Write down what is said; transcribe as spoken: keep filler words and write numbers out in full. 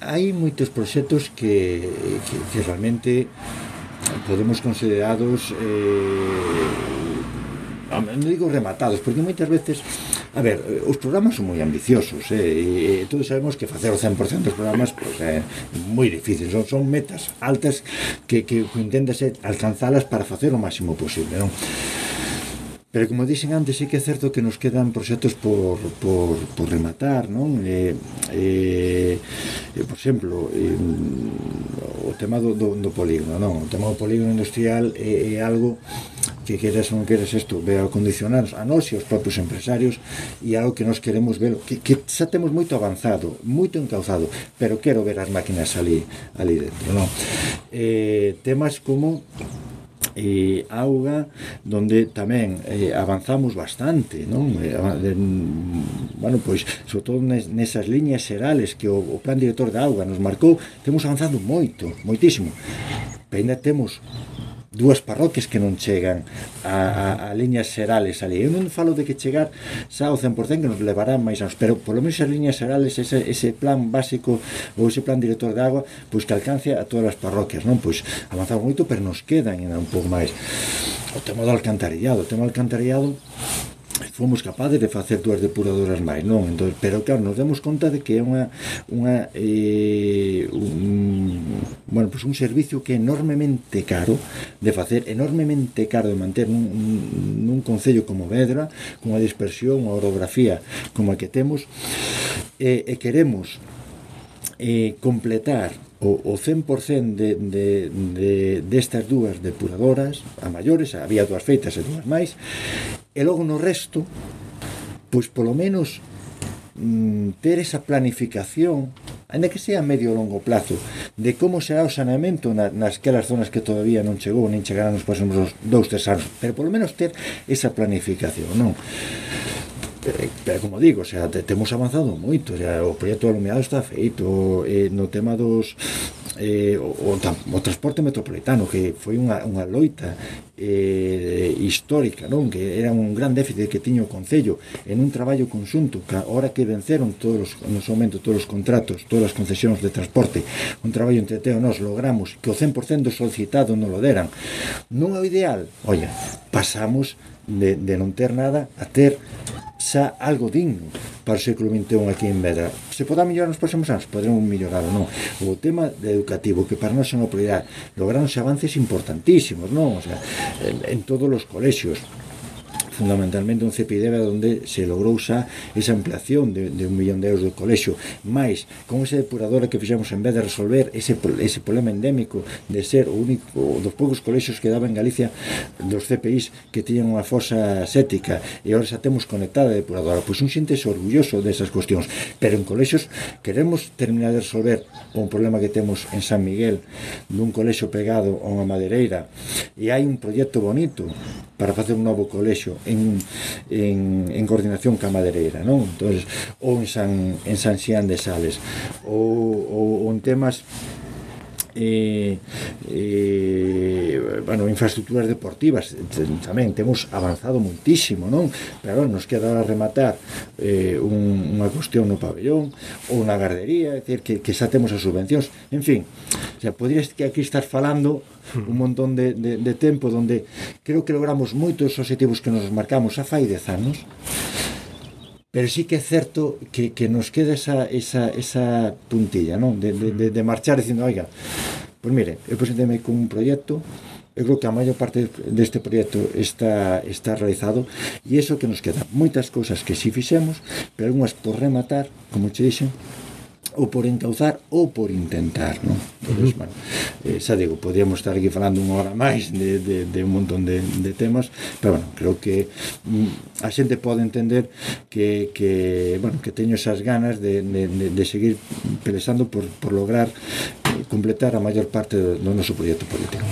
hai moitos proxectos que, que, que realmente podemos considerados eh, non digo rematados, porque moitas veces, a ver, os programas son moi ambiciosos, eh, e todos sabemos que facer o cen por cento dos programas pues, é moi difícil, son, son metas altas que, que, que intentase alcanzalas para facer o máximo posible, non? Pero como dixen antes, sí que é certo que nos quedan proxectos por, por, por rematar, non? E, e, e por exemplo, e, o tema do, do, do polígono, non? O tema do polígono industrial é, é algo que queres ou non queres isto, ve a condicionar a nós e aos propios empresarios, e algo que nós queremos ver, que, que xa temos moito avanzado, moito encauzado, pero quero ver as máquinas ali, ali dentro, non? E, temas como e auga, donde tamén eh, avanzamos bastante, non? Eh, bueno, pois, sobre todo nesas liñas xerales que o, o plan director da auga nos marcou, temos avanzado moito, moitísimo, pero ainda temos dúas parroquias que non chegan a, a, a liñas xerales ali. Eu non falo de que chegar xa ao cen por cento, que nos levará máis anos, pero polo menos as liñas xerales, ese, ese plan básico ou ese plan director de agua, pois que alcance a todas as parroquias, non? Pois avanzamos moito, pero nos quedan ainda un pouco máis. O tema do alcantarillado, o tema do alcantarillado fomos capaces de facer dúas depuradoras máis, non? Entón, pero claro, nos demos conta de que é unha, unha eh, un, bueno, pues un servicio que é enormemente caro de facer, enormemente caro de manter nun, nun concello como Vedra, con a dispersión, a orografía como a que temos, e, e queremos eh, completar o, o cen por cento de, de, de, destas dúas depuradoras a maiores, había dúas feitas e dúas máis, e logo no resto, pois polo menos mm, ter esa planificación, ainda que sea a medio ou longo plazo, de como será o saneamento na, nasquelas zonas que todavía non chegou, nin chegarán nos próximos dous, tres anos, pero polo menos ter esa planificación, non? Pero como digo, o sea, te, temos avanzado moito, o, sea, o proxecto alumeado está feito, eh, no tema dos eh, o, o, o transporte metropolitano, que foi unha, unha loita eh, histórica, non? Que era un gran déficit que tiña o Concello en un traballo conxunto, que ahora que venceron todos os, no seu momento todos os contratos, todas as concesións de transporte, un traballo entre Teo e nós, logramos que o cen por cento solicitado non lo deran. Non é o ideal, olla, pasamos de, de non ter nada a ter xa algo digno para o século vinte e un aquí en Vedra. Se poderá mellorar nos próximos anos, poderemos mellorar ou non. O tema de educativo, que para nós é unha prioridade, lograronse avances importantísimos, non? O sea, en, en todos os colexios, fundamentalmente un C P I D E B onde se logrou xa esa ampliación de, de un millón de euros do colexio, máis con esa depuradora que fixemos en vez de resolver ese, ese problema endémico de ser o único dos poucos colexios que daba en Galicia dos C P Is que tiñan unha fosa séptica, e agora xa temos conectada a depuradora, pois un xente orgulloso desas cuestións, pero en colexios queremos terminar de resolver un problema que temos en San Miguel dun colexio pegado a unha madereira, e hai un proxecto bonito para facer un novo colexio en, en, en coordinación ca madereira, non? Entonces, ou en San, en San Xián de Sales, ou, ou, ou en temas eh, eh, bueno, infraestructuras deportivas tamén temos avanzado muitísimo, non? Pero nos queda rematar eh, un, unha cuestión no pabellón ou na gardería, é dicir, que, que xa temos as subvencións, en fin, o sea, podrías que aquí estar falando un montón de, de, de tempo donde creo que logramos moitos objetivos que nos marcamos a fai dez anos, pero sí que é certo que, que nos queda esa, esa, esa puntilla, non? De, de, de marchar dicindo, oiga, pois mire, eu presentei-me con un proxecto, eu creo que a maior parte deste proxecto está, está realizado, e iso que nos queda moitas cousas que si fixemos, pero algunhas por rematar, como che dixen, ou por encauzar ou por intentar, non? Entón, bueno, eh, xa digo, podríamos estar aquí falando unha hora máis de, de, de un montón de, de temas, pero bueno, creo que mm, a xente pode entender que, que, bueno, que teño esas ganas de, de, de seguir pelexando por, por lograr eh, completar a maior parte do, do noso proxecto político.